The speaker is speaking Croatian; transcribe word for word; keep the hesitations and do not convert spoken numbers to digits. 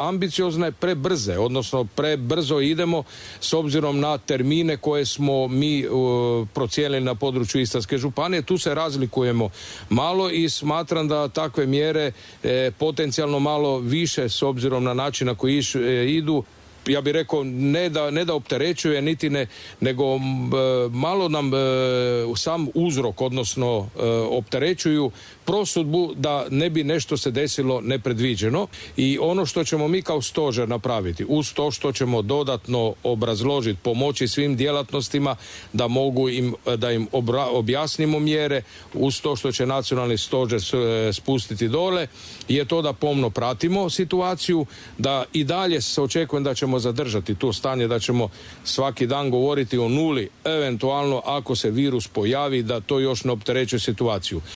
preambiciozne, prebrze, odnosno prebrzo idemo s obzirom na termine koje smo mi uh, procijenili na području Istarske županije. Tu se razlikujemo malo i smatram da takve mjere e, potencijalno malo više s obzirom na način na koji iš, e, idu, ja bih rekao ne da, ne da opterećuje niti ne, nego e, malo nam e, sam uzrok, odnosno e, opterećuju prosudbu da ne bi nešto se desilo nepredviđeno. I ono što ćemo mi kao stožer napraviti, uz to što ćemo dodatno obrazložiti, pomoći svim djelatnostima da mogu im, da im obra, objasnimo mjere, uz to što će nacionalni stožer spustiti dole, je to da pomno pratimo situaciju, da i dalje se očekujem da ćemo zadržati to stanje, da ćemo svaki dan govoriti o nuli, eventualno ako se virus pojavi, da to još ne opterećuje situaciju.